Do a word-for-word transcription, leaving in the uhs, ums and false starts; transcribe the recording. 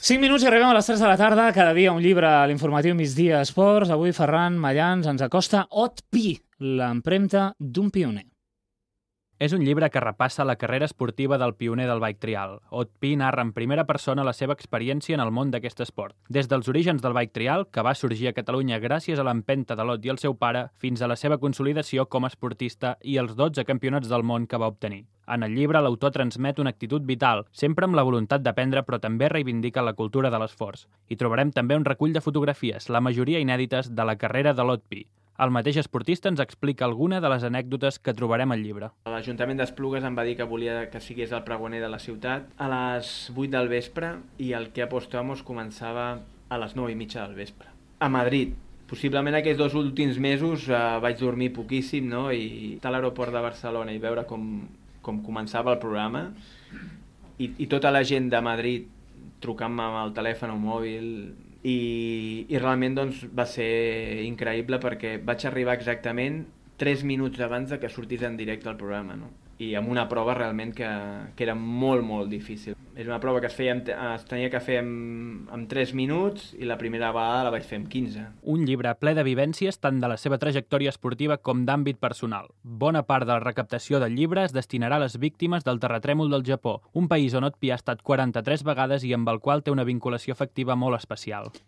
cinc minuts i arribem a les tres de la tarda. Cada dia un llibre a l'informatiu Migdia Esports. Avui Ferran Mayans ens acosta Ot Pi, l'empremta d'un pioner. És un llibre que repassa la carrera esportiva del pioner del bike trial. Ot Pi narra en primera persona la seva experiència en el món d'aquest esport. Des dels orígens del bike trial, que va sorgir a Catalunya gràcies a l'empenta de l'Ot i el seu pare, fins a la seva consolidació com a esportista i els dotze campionats del món que va obtenir. En el llibre, l'autor transmet una actitud vital, sempre amb la voluntat d'aprendre, però també reivindica la cultura de l'esforç. Hi trobarem també un recull de fotografies, la majoria inèdites, de la carrera de l'Ot Pi. El mateix esportista ens explica alguna de les anècdotes que trobarem al llibre. L'Ajuntament d'Esplugues em va dir que volia que sigués el pregoner de la ciutat a les vuit del vespre i el que apostamos començava a les nou i mitja del vespre. A Madrid. Possiblement aquests dos últims mesos eh, vaig dormir poquíssim, no? I estar a l'aeroport de Barcelona i veure com, com començava el programa i, i tota la gent de Madrid trucant-me amb el telèfon o mòbil i, i realment doncs, va ser increïble perquè vaig arribar exactament tres minuts abans de que sortís en directe el programa, no? I amb una prova realment que, que era molt, molt difícil. És una prova que es, feia, es tenia que fer en, en tres minuts i la primera vegada la vaig fer en quinze. Un llibre ple de vivències tant de la seva trajectòria esportiva com d'àmbit personal. Bona part de la recaptació del llibre es destinarà a les víctimes del terratrèmol del Japó, un país on Ot Pi ha estat quaranta-tres vegades i amb el qual té una vinculació afectiva molt especial.